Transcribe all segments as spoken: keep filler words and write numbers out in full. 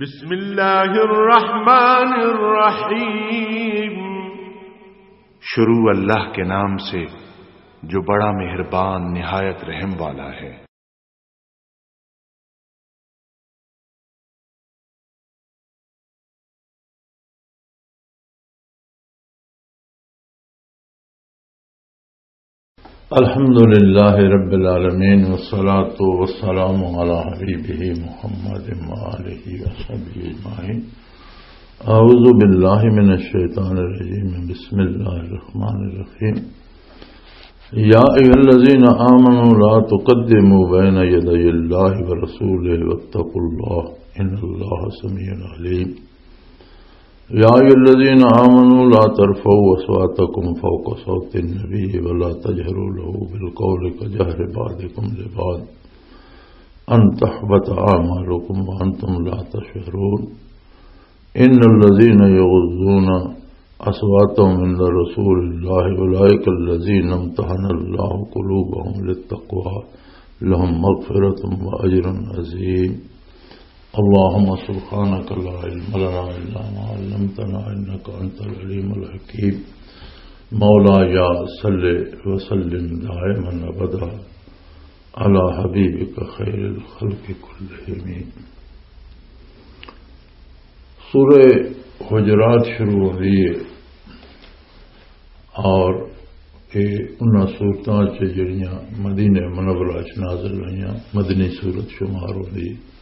بسم اللہ الرحمن الرحیم۔ شروع اللہ کے نام سے جو بڑا مہربان نہایت رحم والا ہے۔ الحمد لله رب العالمين، والصلاة والسلام على حبيبه محمد وآله وصحبه أجمعين. أعوذ بالله من الشيطان الرجيم. بسم الله الرحمن الرحيم. يا أيها الذين آمنوا لا تقدموا بين يدي الله ورسوله واتقوا الله، إن الله سميع عليم. يا أيها الذين آمنوا لا ترفعوا أصواتكم فوق صوت النبي ولا تجهروا له بالقول كجهر بعضكم لبعض أن تحبط أعمالكم وأنتم لا تشعرون. إن الذين يغضون أصواتهم عند رسول الله أولئك الذين امتحن الله قلوبهم للتقوى لهم مغفرة وأجر عظيم. اللهم سبحانك لا علم لنا إلا ما علمتنا إنك أنت العليم الحكيم. مولاي صل وسلم دائما أبدا على حبيبك خير الخلق كلهم. سورہ حجرات شروع ہو رہی ہے اور یہ انہاں صورتاں چ جڑیاں مدینہ منورہ چ نازل ہوئیاں، مدنی صورت شمار ہوندی ہے۔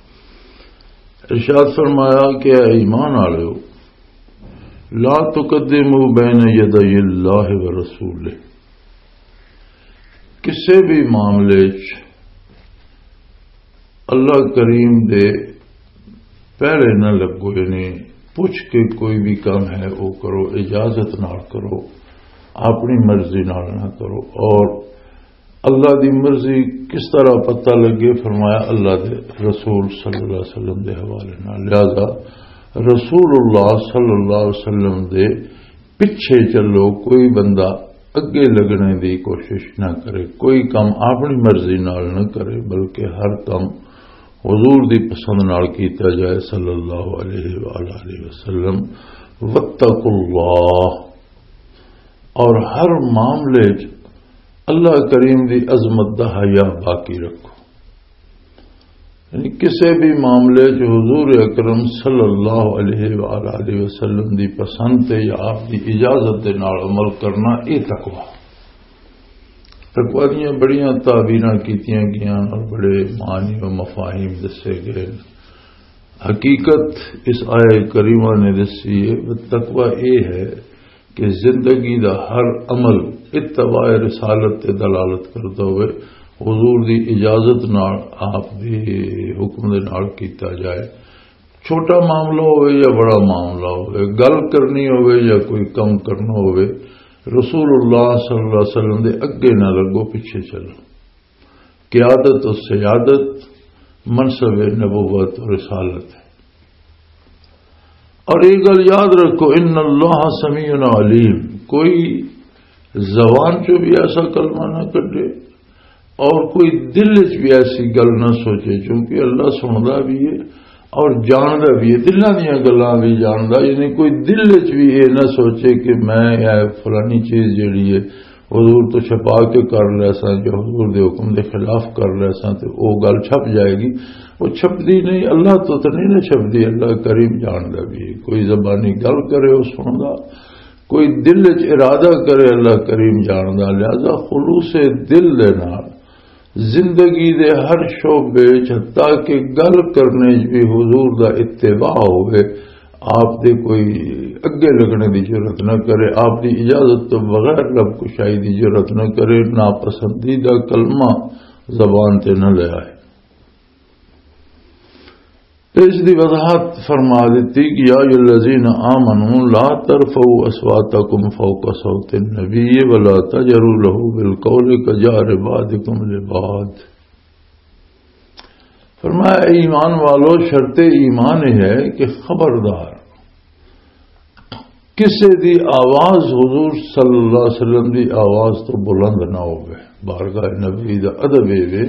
ارشاد فرمایا کہ اے ایمان والو، لا تقدموا بین یدی اللہ و رسولہ، کسے بھی معاملے چ اللہ کریم دے پہلے نہ لگو، یعنی پوچھ کے کوئی بھی کام ہے وہ کرو، اجازت نال کرو، اپنی مرضی نال نہ کرو۔ اور اللہ دی مرضی کس طرح پتہ لگے؟ فرمایا اللہ دے رسول صلی اللہ علیہ وسلم دے حوالے نال۔ لہذا رسول اللہ صلی اللہ علیہ وسلم دے پیچھے چلو، کوئی بندہ اگے لگنے دی کوشش نہ کرے، کوئی کم اپنی مرضی نال نہ کرے، بلکہ ہر کم حضور دی پسند نال کیتا جائے صلی اللہ علیہ وآلہ وسلم۔ واتقوا اللہ، اور ہر معاملے چ اللہ کریم دی عظمت دا حیا باقی رکھو۔ یعنی کسے بھی معاملے چ حضور اکرم صلی اللہ علیہ وآلہ وسلم دی پسند تے یا آپ دی اجازت دے نال عمل کرنا، اے تقوی۔ تقوی دیاں بڑیاں تعبیراں کیتیاں گئیاں اور بڑے معنی و مفاہیم دسے گئے۔ حقیقت اس آیہ کریمہ نے دسی ہے، تقوی اے ہے کہ زندگی دا ہر عمل اتباع رسالت تے دلالت کردا ہوئے، حضور دی اجازت نال، آپ دے حکم دے نال کیتا جائے۔ چھوٹا معاملہ ہوئے یا بڑا معاملہ ہوئے، گل کرنی ہوئے یا کوئی کم کرنا ہوئے، رسول اللہ صلی اللہ علیہ وسلم دے اگے نہ لگو، پیچھے چلو۔ قیادت و سیادت منصب نبوت و رسالت ہے۔ اور یہ گل یاد رکھو، ان اللہ سمیع علیم، کوئی زبان چوں بھی ایسا کلمہ نہ کڈے اور کوئی دل وچ بھی ایسی گل نہ سوچے، چونکہ اللہ سندا بھی ہے اور جاندا بھی ہے، دلاں دیاں گلاں بھی جاندا، یعنی کوئی دل وچ بھی یہ نہ سوچے کہ میں یہ فلانی چیز جڑی ہے حضور تو چھپا کے کر لے ساں، جو حضور دے حکم دے خلاف کر لے ساں تے او گل چھپ جائے گی۔ وہ چھپدی نہیں، اللہ تو تے نہیں نہ چھپدی، اللہ کریم جاندا بھی ہے۔ کوئی زبانی گل کرے، وہ سندا، کوئی دل وچ ارادہ کرے، اللہ کریم جاندا۔ لہذا خلوص دل دے نال زندگی دے ہر شعبے وچ، حتیٰ کہ گل کرنے وچ بھی حضور دا اتباع ہوئے، آپ دے کوئی اگے لگنے دی ضرورت نہ کرے، آپ دی اجازت تو بغیر لب کشائی دی ضرورت نہ کرے، ناپسندیدہ کلمہ زبان تے نہ لے آئے۔ تے اس دی وضاحت فرما دتی کہ یا ایھا الذین آمنوا لا ترفعوا اصواتکم فوق صوت النبی ولا تجهروا له بالقول كجهر بعضکم لبعض۔ فرمایا، اے ایمان والو، شرط ایمان یہ ہے کہ خبردار کسے دی آواز حضور صلی اللہ علیہ وسلم دی آواز تو بلند نہ ہوے۔ بارگاہ نبی دا ادب یہ وے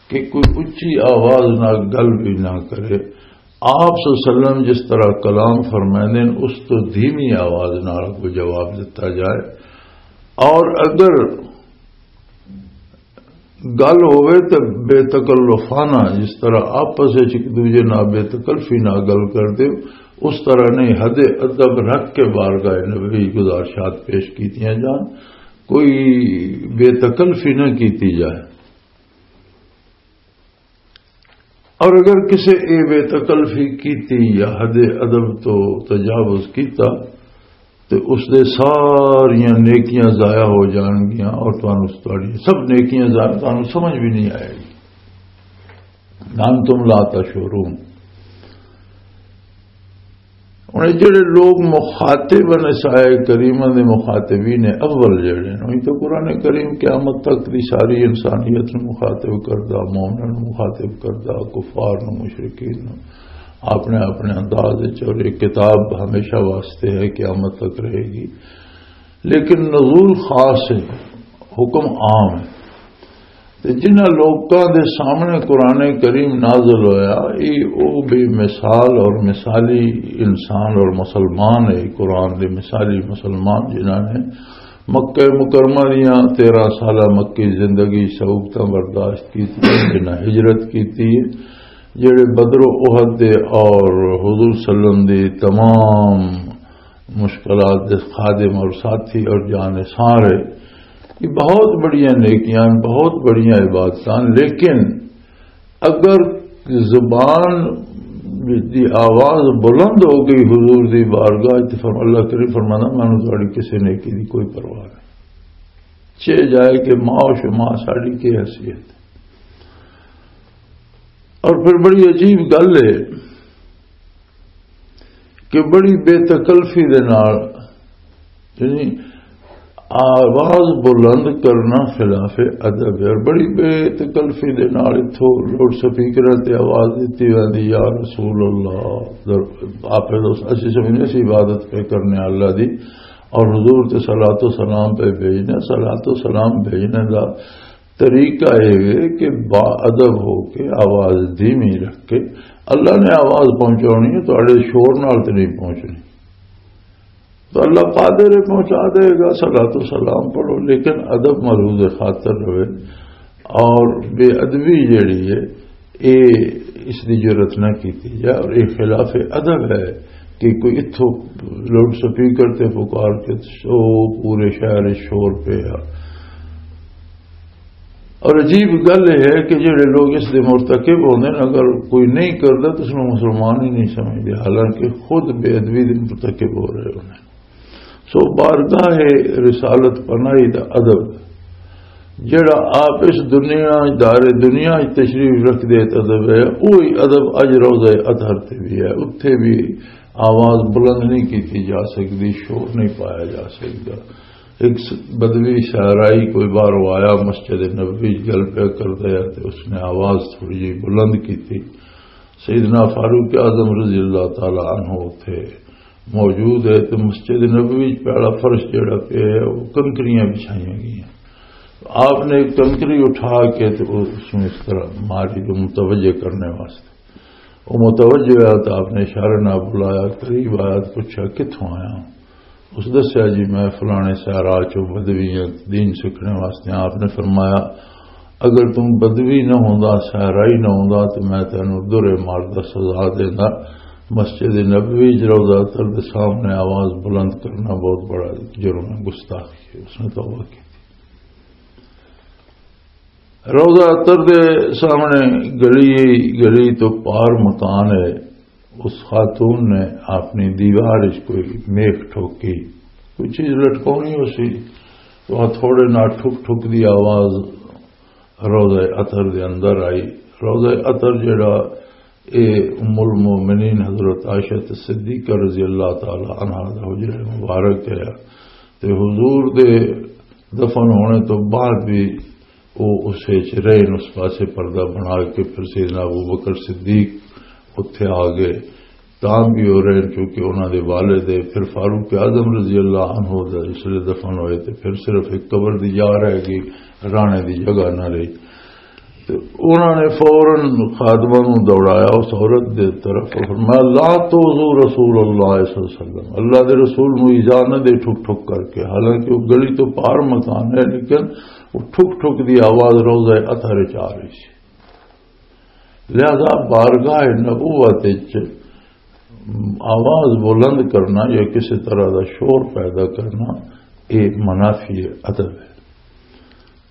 کہ کوئی اچھی آواز نہ گل بھی نہ کرے، آپ صلی اللہ علیہ وسلم جس طرح کلام فرمائے نے، اس تو دھیمی آواز نال کوئی جواب دتا جائے، اور اگر گل ہوئے تے بے تکلفانہ، جس طرح آپس وچ ایک دوجے نال بے تکلفی نال گل کردے، اس طرح نہیں، حد ادب رکھ کے بارگاہ نبوی گزارشات پیش کیتیاں جان، کوئی بے تکلفی نہ کیتی جائے۔ اور اگر کسے اے بے تکلفی کیتی یا حد ادب تو تجاوز کیتا، تے اس دے ساریاں نیکیاں ضائع ہو جان گیاں، اور تانوں تہاڈی سب نیکیاں ضائع، تانوں سمجھ بھی نہیں آئے گی۔ انتم لا تشعرون۔ ہن اے جڑے لوگ مخاطب نے، سائے کریمہ دے مخاطبین اول جڑے نے، وہی تو قرآن کریم قیامت تک دی ساری انسانیت نوں مخاطب کردا، مومناں نوں مخاطب کردا، کفار نوں، مشرکین نوں، اپنے اپنے انداز وچ۔ اور یہ کتاب ہمیشہ واسطے ہے، قیامت تک رہے گی، لیکن نزول خاص ہے، حکم عام ہے۔ تے جنہاں لوکاں دے سامنے قرآن کریم نازل ہویا، اے او بے مثال اور مثالی انسان اور مسلمان ہے، قرآن دے مثالی مسلمان، جنہاں نے مکہ مکرمہ دیاں تیرہ سالہ مکہ زندگی سعوبتاں برداشت کیتی، جنہاں ہجرت کیتی ہے، جڑے بدر و احد دے اور حضور صلی اللہ علیہ وسلم دی تمام مشکلات دے خادم اور ساتھی اور جان سارے، یہ بہت بڑیاں نیکیاں، بہت بڑیاں عبادتاں، لیکن اگر زبان دی آواز بلند ہو گئی حضور دی بارگاہ وچ، فرم-، اللہ کریم فرمانا، میں انہوں تہاڈی کسی نیکی دی کوئی پرواہ نہیں، چے جائے کہ ماں و شما ساڈی کی حیثیت۔ اور پھر بڑی عجیب گل ہے کہ بڑی بے تکلفی دے نال، یعنی آواز بلند کرنا خلاف ادب ہے، اور بڑی بے تکلفی دے نال اتھوں لاؤڈ سپیکر تے آواز دتی ویندی، "یا رسول اللہ۔" در-، آپ دوست، اسی سمجھنے سی عبادت پہ کرنے اللہ دی، اور حضور تے صلاۃ و سلام پہ بھیجنے، صلاۃ و سلام بھیجنے دا طریقہ یہ ہے کہ با ادب ہو کے، آواز دھیمی رکھ کے، اللہ نے آواز پہنچانی ہے، تہاڈے شور نال تے نہیں پہنچنی۔ تو اللہ قادر ہے، پہنچا دے گا، صلاۃ و سلام پڑھو، لیکن ادب ملحوظ خاطر رہے۔ اور بے ادبی جڑی ہے، اے اس دی جرت نہ کیتی جائے، اور اے خلاف ادب ہے کہ کوئی اتھوں لاؤڈ سپیکر تے پکار کے سو پورے شہر وچ شور پیا۔ اور عجیب گل یہ ہے کہ جڑے لوگ اس دے مرتکب ہوندے نے، اگر کوئی نہیں کردا تو اس نوں مسلمان ہی نہیں سمجھدے، حالانکہ خود بے ادبی دے مرتکب ہو رہے ہوندے۔ سو بارگاہ رسالت پناہی دا ادب، جڑا آپ اس دنیا، دار دنیا وچ تشریف رکھ دے ادب ہے، وہی ادب اج روضہ اطہر تے بھی ہے۔ اتھے بھی آواز بلند نہیں کیتی جا سکتی، شور نہیں پایا جا سکتا۔ ایک س-، بدوی صحرائی کوئی باہروں آیا، مسجد نبوی وچ گل پیا کردا ہے تے اس نے آواز تھوڑی جی بلند کیتی۔ سیدنا فاروق اعظم رضی اللہ تعالی عنہ اتھے موجود ہے، تے مسجد نبوی وچ پہلا فرش جڑا پیا ہے، وہ کنکریاں بچھائیاں گئیاں۔ آپ نے ایک کنکری اٹھا کے تے اس میں اس طرح ماری، تو متوجہ کرنے واسطے۔ وہ متوجہ ہوا تو آپ نے اشارے نال بلایا، قریب آیا تو پوچھا، "کتھوں آیا؟" اس دسیا، "جی، میں فلانے صحرا چوں بدوی ہاں، دین سکھنے واسطے ہاں۔" آپ نے فرمایا، "اگر تم بدوی نہ ہوندا، صحرائی نہ ہوندا، تو میں تینوں درے مار دا سزا دیندا۔ مسجد نبوی وچ روضہ تر دے سامنے آواز بلند کرنا بہت بڑا جرم ہے، گستاخی ہے۔" اس نے توبہ کی۔ روضہ تر دے سامنے گلی، گلی تو پار مکان ہے۔ اس خاتون نے اپنی دیوار وچ کوئی میخ ٹھوکی، کوئی چیز لٹکونی ہو سی، تو آ تھوڑے نال ٹھک ٹھک دی آواز روضہ عطر دے اندر آئی۔ روضہ عطر جڑا، اے ام المومنین حضرت عائشہ صدیقہ رضی اللہ تعالی عنہا دا حجرہ مبارک ہے، تے حضور دے دفن ہونے تو بعد بھی وہ اس وچ رہے، اس پاسے پردہ بنا کے۔ پھر سیدنا ابو بکر صدیق اتھے آ گئے، تاں بھی وہ رہے، کیونکہ انہاں دے والد ہے۔ پھر فاروق اعظم رضی اللہ عنہ دا اس لیے دفن ہوئے، تے پھر صرف ایک قبر دی جا رہ گئی، رانے دی جگہ نہ رہی۔ تے انہاں نے فوراً خادمہ نوں دوڑایا اس عورت دے طرف اور فرمایا، "لا تؤذوا رسول اللہ صلی اللہ علیہ وسلم، اللہ دے رسول نوں ایذا نہ دے ٹھک ٹھک کر کے۔" حالانکہ وہ گلی تو پار مکان ہے، لیکن وہ ٹھک ٹھک دی آواز روضہ اطہر وچ آ رہی سی۔ لہذا بارگاہ نبوت وچ آواز بلند کرنا یا کسی طرح دا شور پیدا کرنا، یہ منافی ادب ہے۔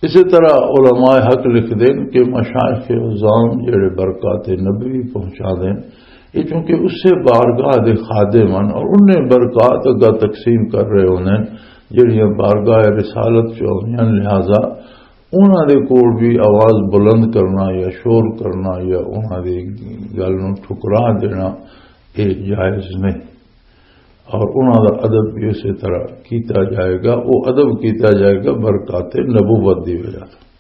اسی طرح علماء حق لکھ دین کہ مشائخ عظام جڑے برکات نبوی پہنچا دین، یہ چونکہ اسے بارگاہ دے خادم ہن اور انہیں برکات اگا تقسیم کر رہے ہوندے ہن، جڑیاں بارگاہ رسالت چ آؤندیاں ہن، لہذا انہاں دے کول بھی آواز بلند کرنا یا شور کرنا یا انہاں دی گل نوں ٹھکرا دینا، یہ جائز نہیں۔ اور انہاں دا ادب بھی اسی طرح کیتا جائے گا، وہ ادب کیتا جائے گا برکات نبوت دی وجہ سے۔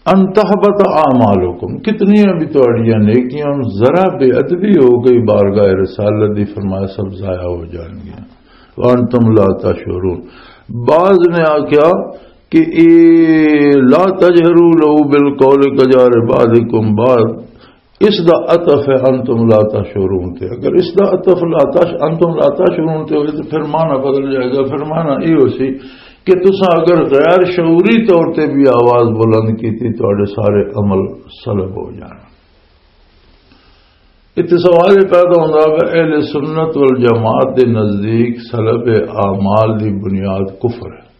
ان تحبط اعمالکم، کتنی بھی تہاڈیاں نیکیاں، ذرا بے ادبی ہو گئی بارگاہ رسالت دی، فرمایا سب ضائع ہو جان گیا۔ وانتم لا تشعرون۔ بعض نے آکھیا کہ اے لا تجهروا له بالقول كجهر بعضكم بعضا، اس دا عطف ہے انتم لا تشعرون تے۔ اگر اس دا عطف لا تش-، انتم لا تشعرون تے ہوئے تو پھر معنی بدل جائے گا۔ پھر معنی یہ ہو سی کہ تساں اگر غیر شعوری طور تے بھی آواز بلند کی تھی، تہاڈے سارے عمل سلب ہو جانا۔ اتنے سوال یہ پیدا ہوتا ہے کہ اہل سنت والجماعت دے نزدیک سلب اعمال دی بنیاد کفر ہے۔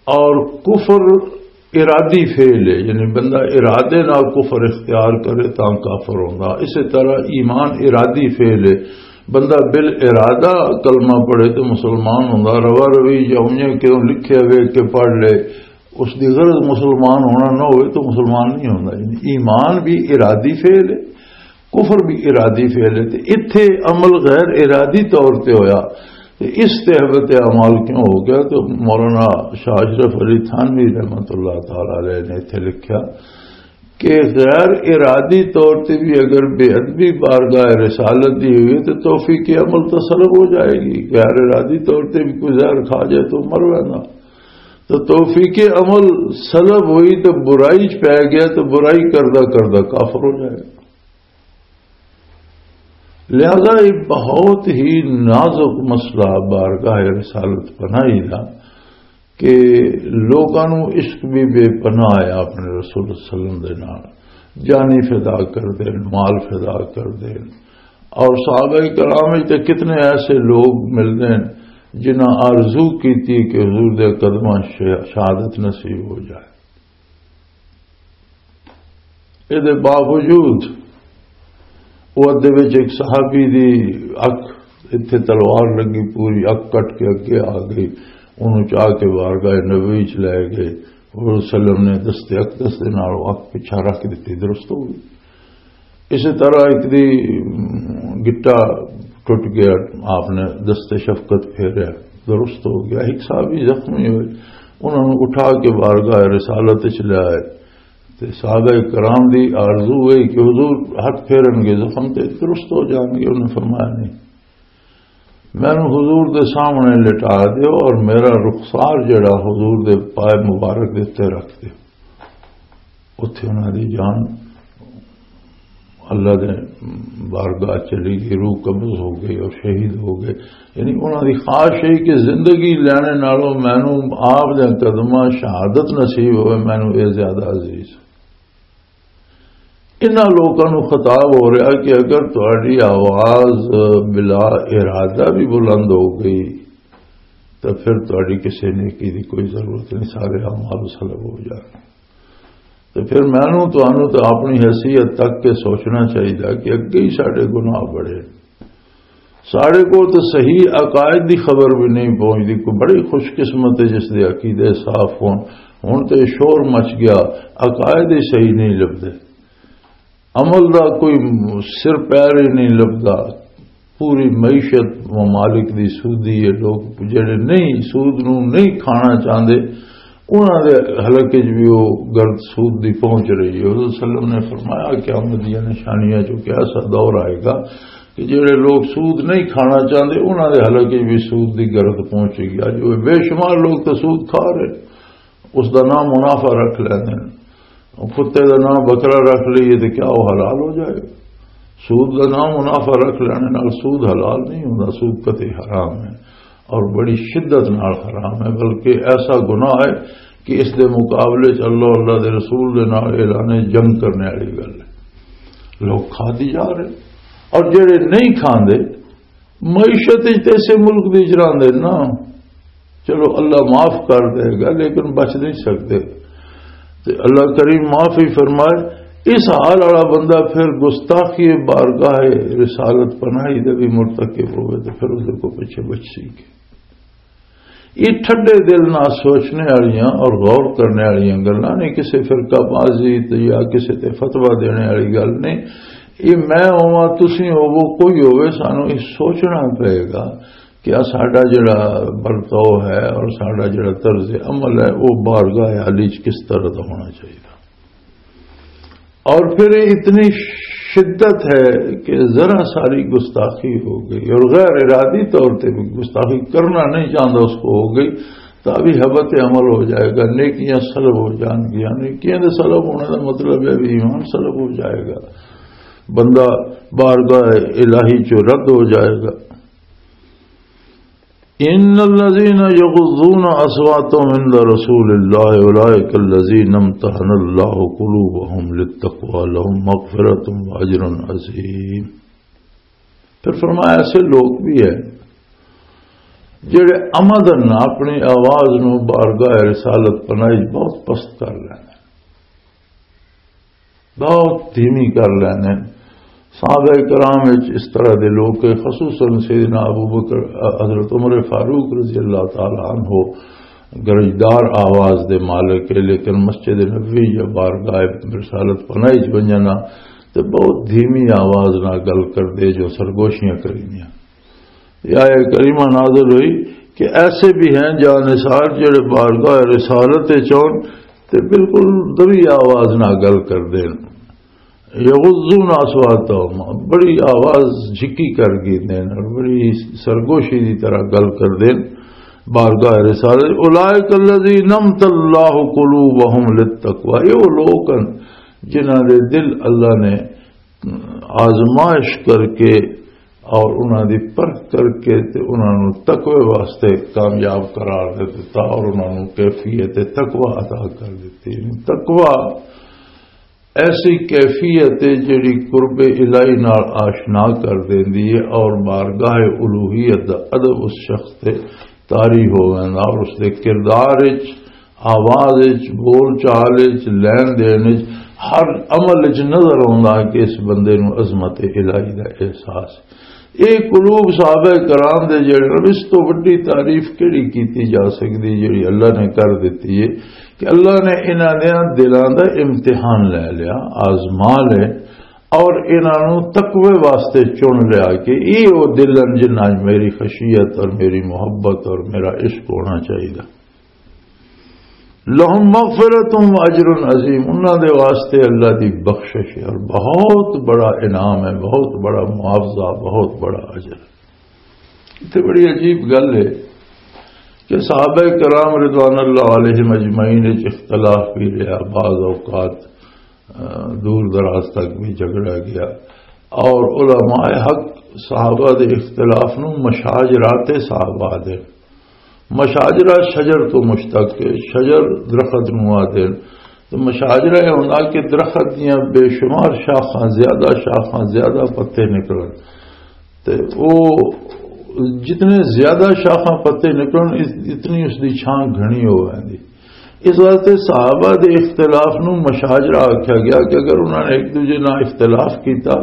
اور کفر ارادی فعل ہے، یعنی بندہ ارادے نال کفر اختیار کرے تاں کافر ہوندا۔ اسی طرح ایمان ارادی فعل ہے، بندہ بال ارادہ کلمہ پڑھے تو مسلمان ہوندا، روا روی یا اونجے کیوں لکھے ہوئے کہ پڑھ لے، اس دی غرض مسلمان ہونا نہ ہوئے تو مسلمان نہیں ہوندا۔ یعنی ایمان بھی ارادی فعل ہے، کفر بھی ارادی فعل ہے، تے اتھے عمل غیر ارادی طور تے ہویا، تے اس تہبت اعمال کیوں ہو گیا؟ تو مولانا شاہ اشرف علی تھانوی رحمۃ اللہ تعالی علیہ نے اتھے لکھیا کہ غیر ارادی طور تے بھی اگر بے ادبی بارگاہ رسالت دی ہوئی تو توفیق عمل تو سلب ہو جائے گی۔ غیر ارادی طور تے بھی کوئی زہر کھا جائے تو مر وینا، تو توفیق عمل سلب ہوئی تو برائی چ پی گیا تو برائی کردہ کردہ کافر ہو جائے گا۔ لہذا یہ بہت ہی نازک مسئلہ بارگاہ رسالت پناہی دا کہ لوکاں نوں عشق بھی بے پناہ ہے اپنے رسول صلی اللہ علیہ وسلم دے نال، جانی فدا کر دین، مال فدا کر دین۔ اور صحابہ کرام وچ تے کتنے ایسے لوگ ملدے ہیں جنہاں آرزو کیتی کہ حضور دے قدماں ش-، شہادت نصیب ہو جائے۔ اے دے باوجود وہ ادے وچ ایک صحابی دی اک، اتھے تلوار لگی، پوری اک کٹ کے اگے آ گئی، انہوں چاہ کے بارگاہ نبوی چ لے گئے۔ حضور صلی اللہ علیہ وسلم نے دست اقدس دے نال اک پچھا رکھ دتی، درست ہو گئی۔ اسی طرح ایک دی گٹا ٹوٹ گیا، آپ نے دست شفقت پھیریا، درست ہو گیا۔ ایک صحابی زخمی ہوئے، انہوں نے اٹھا کے بارگاہ رسالت چ لے آئے۔ تے صحابہ کرام دی آرزو ہوئی کہ حضور ہاتھ پھیرن گے زخم تے درست ہو جان گے۔ انہوں نے فرمایا، "نہیں، مینوں حضور دے سامنے لٹا دیو اور میرا رخسار جڑا حضور دے پائے مبارک دے تے رکھ دیو۔" اتھے انہاں دی جان اللہ دے بارگاہ چلی گئی، روح قبض ہو گئی اور شہید ہو گئے۔ یعنی انہاں دی خواہش ہے کہ زندگی لینے نالوں مینوں آپ دے قدماں شہادت نصیب ہوئے، مینوں اے زیادہ عزیز۔ انہاں لوکاں نوں خطاب ہو رہا کہ اگر تہاڈی آواز بلا ارادہ بھی بلند ہو گئی تو پھر تہاڈی کسی نیکی دی کوئی ضرورت نہیں، سارے اعمال سلب ہو جانے۔ تو پھر مینوں تانوں تو اپنی حیثیت تک کے سوچنا چاہیے کہ اگے ہی ساڈے گناہ بڑے، ساڈے کو تو صحیح عقائد دی خبر بھی نہیں پہنچتی۔ کوئی بڑی خوش قسمت ہے جس دے عقیدے صاف ہون۔ ہن تے شور مچ گیا، عقائد ہی صحیح نہیں لبدے، عمل دا کوئی سر پیر ہی نہیں لبدا۔ پوری معیشت ممالک دی سودی ہے، لوگ جڑے نہیں، سود نو نہیں کھانا چاہندے، انہاں دے حلقے 'چ بھی وہ گرد سود دی پہنچ رہی ہے۔ حضور صلی اللہ علیہ وسلم نے فرمایا، قیامت دیاں نشانیاں 'چوں کہ ایسا دور آئے گا کہ جڑے لوگ سود نہیں کھانا چاہندے، انہاں دے حلقے 'چ بھی سود دی گرد پہنچے گی۔ اج وہ بے شمار لوگ تو سود کھا رہے۔ اس دا نام منافع رکھ لیندے نے۔ کتے دا نام بکرا رکھ لئیے تے کیا وہ حلال ہو جائے؟ سود دا نام منافع رکھ لینے نال سود حلال نہیں ہوندا، سود قطعی حرام ہے اور بڑی شدت نال حرام ہے، بلکہ ایسا گناہ ہے کہ اس دے مقابلے چ اللہ، اللہ دے رسول دے نال اعلان جنگ کرنے والی گل ہے۔ لوگ کھادی جا رہے، اور جڑے نہیں کھاندے، معیشت وچ تے اسے ملک دی اجراندے نا، چلو اللہ معاف کر دے گا، لیکن بچ نہیں سکتے۔ تے اللہ کریم معاف ہی فرمائے۔ اس حال والا بندہ پھر گستاخی بارگاہ رسالت پناہی دے بھی مرتکب ہوئے، تو پھر اس کو پیچھے بچ سی گے۔ یہ ٹھڈے دل نہ سوچنے والیاں اور غور کرنے والیاں گلاں نے، کسی فرقہ بازی تے یا کسی تے فتویٰ دینے والی گل نہیں۔ یہ میں ہوواں، تسی ہوو، کوئی ہووے، سانو یہ سوچنا پئے گا کہ آ ساڈا جڑا برتاؤ ہے اور ساڈا جڑا طرز عمل ہے، وہ بارگاہ عالی چ کس طرح دا ہونا چاہیے۔ اور پھر یہ اتنی شدت ہے کہ ذرا ساری گستاخی ہو گئی اور غیر ارادی طور پہ بھی گستاخی کرنا نہیں چاہتا، اس کو ہو گئی، تو ابھی حبط عمل ہو جائے گا، نیکیاں سلب ہو جان گیاں۔ نیکیاں دے سلب ہونے کا مطلب ہے بھی ایمان سلب ہو جائے گا، بندہ بارگاہ الہی چو رد ہو جائے گا۔ ان الذين يغضون اصواتهم عند رسول الله اولئك الذين امتحن الله قلوبهم للتقوى لهم مغفرة واجر عظيم۔ پھر فرمایا، ایسے لوگ بھی ہیں جڑے عمدن اپنی آواز نو بارگاہ رسالت پناہی بہت پست کر لیندے، بہت دھیمی کر لیندے۔ صحابہ کرام وچ اس طرح دے لوگ کہ خصوصاً سیدنا ابو بکر، حضرت عمر فاروق رضی اللہ تعالی عنہ گرجدار آواز دے مالک ہے، لیکن مسجد نبوی یا بارگاہ رسالت پناہی چ ونجنا تے بہت دھیمی آواز نال گل کردے جو سرگوشیاں کریندیاں۔ یہ آیت کریمہ نازل ہوئی کہ ایسے بھی ہیں جاں نثار جڑے بارگاہ رسالت وچ ہون تے بالکل دوی آواز نال گل کردے نے۔ یغضون اصواتهم، بڑی آواز جھکی کر گیندے نے اور بڑی سرگوشی دی طرح گل کردے نے بارگاہ رسالت۔ اولئک الذین امتحن اللہ قلوبهم للتقوی، یہ وہ لوگ ہیں جنہاں دے دل اللہ نے آزمائش کر کے اور انہاں دی پرکھ کر کے تے انہاں نوں تقوی واسطے کامیاب قرار دے دتا اور انہاں نوں کیفیت تقوی عطا کر دتی۔ یعنی تقوی ایسی کیفیت ہے جڑی قرب الہی نال آشنا کر دیندی ہے اور بارگاہ الوہیت دا ادب اس شخص تے طاری ہو ویندا اور اس دے کردار وچ، آواز وچ، بول چال وچ، لین دین وچ، ہر عمل وچ نظر آوندا ہے کہ اس بندے نوں عظمت الہی دا احساس۔ یہ قلوب صحابہ کرام دے جڑے نے، اس تو وڈی تعریف کیڑی کیتی جا سکدی جڑی اللہ نے کر دتی ہے کہ اللہ نے انہاں دے دلاں دا امتحان لے لیا، آزما لے، اور انہاں نوں تقوی واسطے چن لیا کہ یہ وہ دل ہیں جنہاں وچ میری خشیت اور میری محبت اور میرا عشق ہونا چاہیے۔ لہم مغفرۃ و اجر عظیم، انہاں دے واسطے اللہ دی بخشش ہے اور بہت بڑا انعام ہے، بہت بڑا معاوضہ، بہت بڑا اجر۔ اتنے بڑی عجیب گل ہے کہ صحابہ کرام رضوان اللہ علیہم اجمعین وچ اختلاف بھی رہا، بعض اوقات، آ، دور دراز تک بھی جھگڑا گیا، اور علماء حق صحابہ دے اختلاف نو مشاجرات صحابہ دے، مشاجرہ شجر تو مشتق ہے، شجر درخت نو آدے۔ تو مشاجرہ یہ ہونا کہ درخت دیاں بے شمار شاخاں، زیادہ شاخاں، زیادہ پتے نکلن۔ تے او جتنے زیادہ شاخاں پتے نکلن، اس، اتنی اس دی چھاں گھنی ہو ویندی۔ اس واسطے صحابہ دے اختلاف نو مشاجرہ آکھیا گیا کہ اگر انہاں نے ایک دوجے نال اختلاف کیتا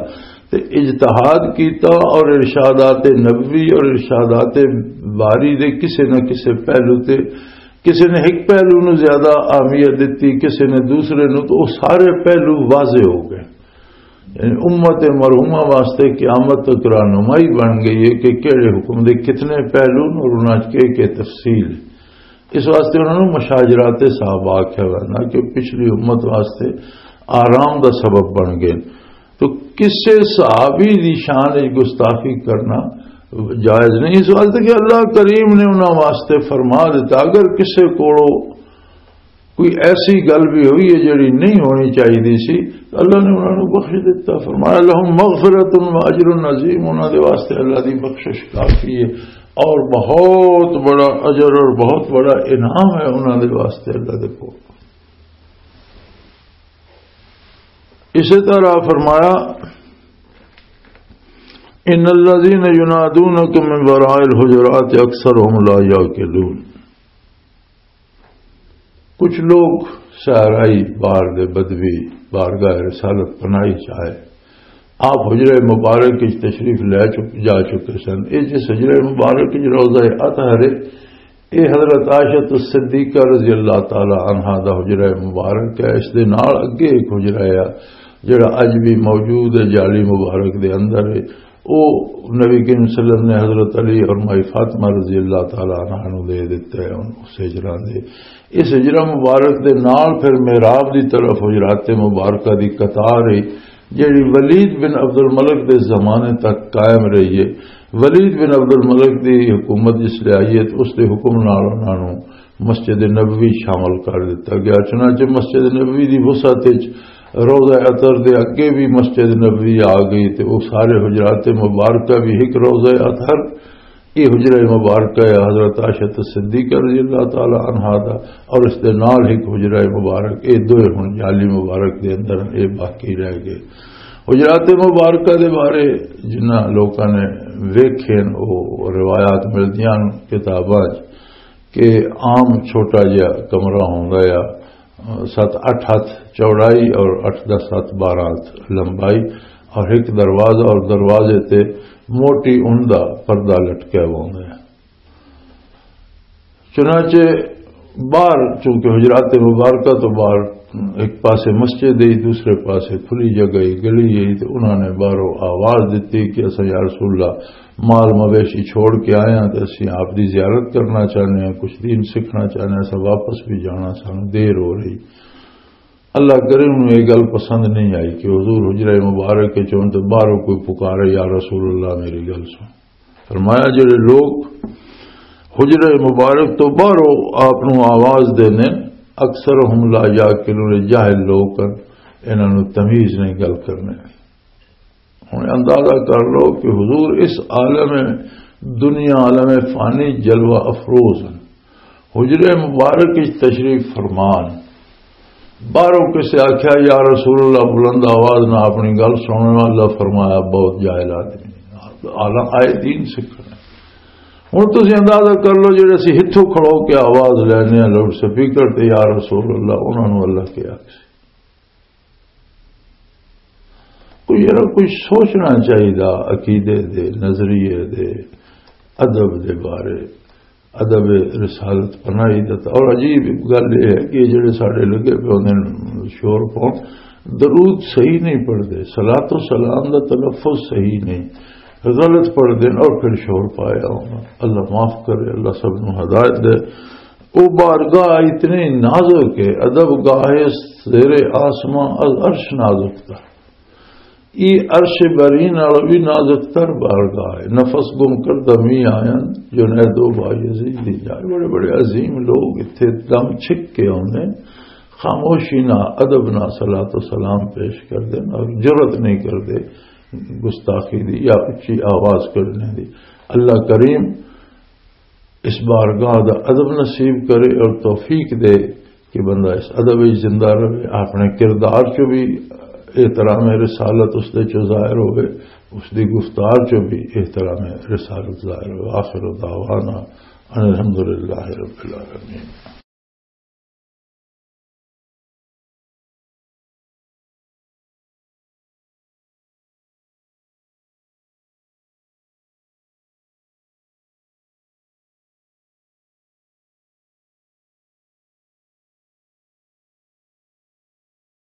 تے اجتہاد کیتا اور ارشادات نبوی اور ارشادات باری دے کسے نہ کسے پہلو تے، کسے نے ایک پہلو نو زیادہ اہمیت دتی، کسے نے دوسرے نو، تو وہ سارے پہلو واضح ہو گئے۔ یعنی امت مرحومہ واسطے قیامت تک رہنمائی بن گئی ہے کہ کہڑے حکم دے کتنے پہلو اور انہاں چ کے کے تفصیل۔ اس واسطے انہاں نوں مشاجرات صحابہ آکھیا ویندا کہ پچھلی امت واسطے آرام دا سبب بن گئے۔ تو کسے صحابی دی شان وچ گستاخی کرنا جائز نہیں، اس واسطے کہ اللہ کریم نے انہاں واسطے فرما دیتا، اگر کسے کولو کوئی ایسی گل بھی ہوئی ہے جڑی نہیں ہونی چاہیے سی، اللہ نے انہاں نوں بخش دتا۔ فرمایا، "لہم مغفرۃ و اجر عظیم"، انہاں دے واسطے اللہ دی بخشش کافی ہے اور بہت بڑا اجر اور بہت بڑا انعام ہے انہاں دے واسطے اللہ دے کول۔ اسی طرح فرمایا، "ان الذین ینادونکم من وراء الحجرات اکثرهم لا یعقلون"، کچھ لوگ صحرائی بار دے بدوی بارگاہ رسالت پناہی چاہے، آپ حجرہ مبارک وچ تشریف لے چک-، جا چکے سن۔ اے جس حجرہ مبارک وچ روضہ اطہر ہے، اے حضرت عائشہ الصدیقہ رضی اللہ تعالی عنہا دا حجرہ مبارک ہے۔ اس دے نال اگے ایک حجرہ ہے جڑا اج بھی موجود ہے، جالی مبارک دے اندر ہے۔ او نبی کریم صلی اللہ علیہ وسلم نے حضرت علی اور مائی فاطمہ رضی اللہ تعالی عنہا نوں دے دتا ہے ان اس حجرہ دے۔ اس حجرہ مبارک دے نال پھر محراب دی طرف حجرات مبارکہ دی قطار ہے، جڑی ولید بن عبد الملک دے زمانے تک قائم رہی ہے۔ ولید بن عبد الملک دی حکومت جس لے آئی ہے، تو اس دے حکم نال انہاں نوں مسجد نبوی شامل کر دتا گیا۔ چنانچہ مسجد نبوی دی وسعت وچ روضہ اطہر دے اگے بھی مسجد نبوی آ گئی تے وہ سارے حجرات مبارکہ بھی ایک روضہ اطہر، یہ حجرہ مبارکہ ہے حضرت عائشہ صدیقہ رضی اللہ تعالی عنہا دا، اور اس دے نال ایک حجرہ مبارک، یہ دوئے ہن جالی مبارک دے اندر یہ باقی رہ گئے۔ حجرات مبارکہ دے بارے جنہاں لوکاں نے ویکھے نے، وہ روایات ملدیاں نے کتاباں 'چ کہ عام چھوٹا جہا کمرہ ہوندا ہے، ست اٹھ ہتھ چوڑائی اور اٹھ دس ہتھ بارہ ہتھ لمبائی، اور ایک دروازہ، اور دروازے تے موٹی اون دا پردہ لٹکیا ہوا ہوندا ہے۔ چنانچہ باہر، چونکہ حجرات مبارکہ تو باہر ایک پاسے مسجد ہے، دوسرے پاسے کھلی جگہ ہے، گلی ہے، تو انہوں نے باہروں آواز دیتی کہ اساں یا رسول اللہ مال مویشی چھوڑ کے آئے ہیں، تو اسی آپ دی زیارت کرنا چاہنے ہیں، کچھ دین سیکھنا چاہنے ہیں، اساں واپس بھی جانا، سانوں دیر ہو رہی۔ اللہ کرے انہوں یہ گل پسند نہیں آئی کہ حضور حجرہ مبارک کے چون تو باہروں کوئی پکارے، "یا رسول اللہ، میری گل سن۔" فرمایا، جڑے لوگ حجرہ مبارک تو باہروں آپ نوں آواز دینے، اکثر ہم لا یعقلون، جاہل لوگ ہیں، انہاں نوں تمیز نہیں گل کرنے۔ ہن اندازہ کر لو کہ حضور اس عالم دنیا، عالم فانی جلوہ افروز ہیں۔ حجرے مبارک وچ تشریف فرمان، باہروں کسے آکھیا، "یا رسول اللہ"، بلند آواز نہ اپنی گل سننے والا، فرمایا، "بہت جاہل آدمی، عالم آئے دین سکھنے۔" ہن تسی اندازہ کر لو، جڑے اسی ہتھوں کھڑو کے آواز لینے ہیں لاؤڈ سپیکر تے، "یا رسول اللہ"، انہاں نوں اللہ کے آکھ سی۔ کوئی یار کوئی سوچنا چاہیدا عقیدے دے، نظریے دے، ادب دے بارے، ادب رسالت پناہی دا۔ اور عجیب گل یہ ہے کہ یہ جڑے ساڈے لگے پے ہوندے نے شور پاؤن، درود صحیح نہیں پڑھدے، صلاۃ و سلام دا تلفظ صحیح نہیں، غلط پڑھدے نے اور پھر شور پایا ہونا۔ اللہ معاف کرے، اللہ سب نو ہدایت دے۔ وہ بارگاہ اتنی نازک ہے، ادب گاہ زیر آسمان از عرش نازک تر۔ یہ عرش بری نال بھی نازک تر بارگاہ ہے۔ نفس گم کر دمی آئن، جنید و بایزید دی جائے۔ بڑے بڑے عظیم لوگ اتھے دم چھک کے آؤندے، خاموشی نہ، ادب نہ صلاۃ و سلام پیش کر دین اور جرأت نہیں کردے گستاخی دی یا اچھی آواز کرنے دی۔ اللہ کریم اس بارگاہ دا ادب نصیب کرے اور توفیق دے کہ بندہ اس ادب وچ زندہ رہے، اپنے کردار چ بھی احترام رسالت اس دے چ ظاہر ہوئے، اس دی گفتار چ بھی احترام رسالت ظاہر ہوئے۔ آخر دعوانا ان الحمدللہ رب العالمین۔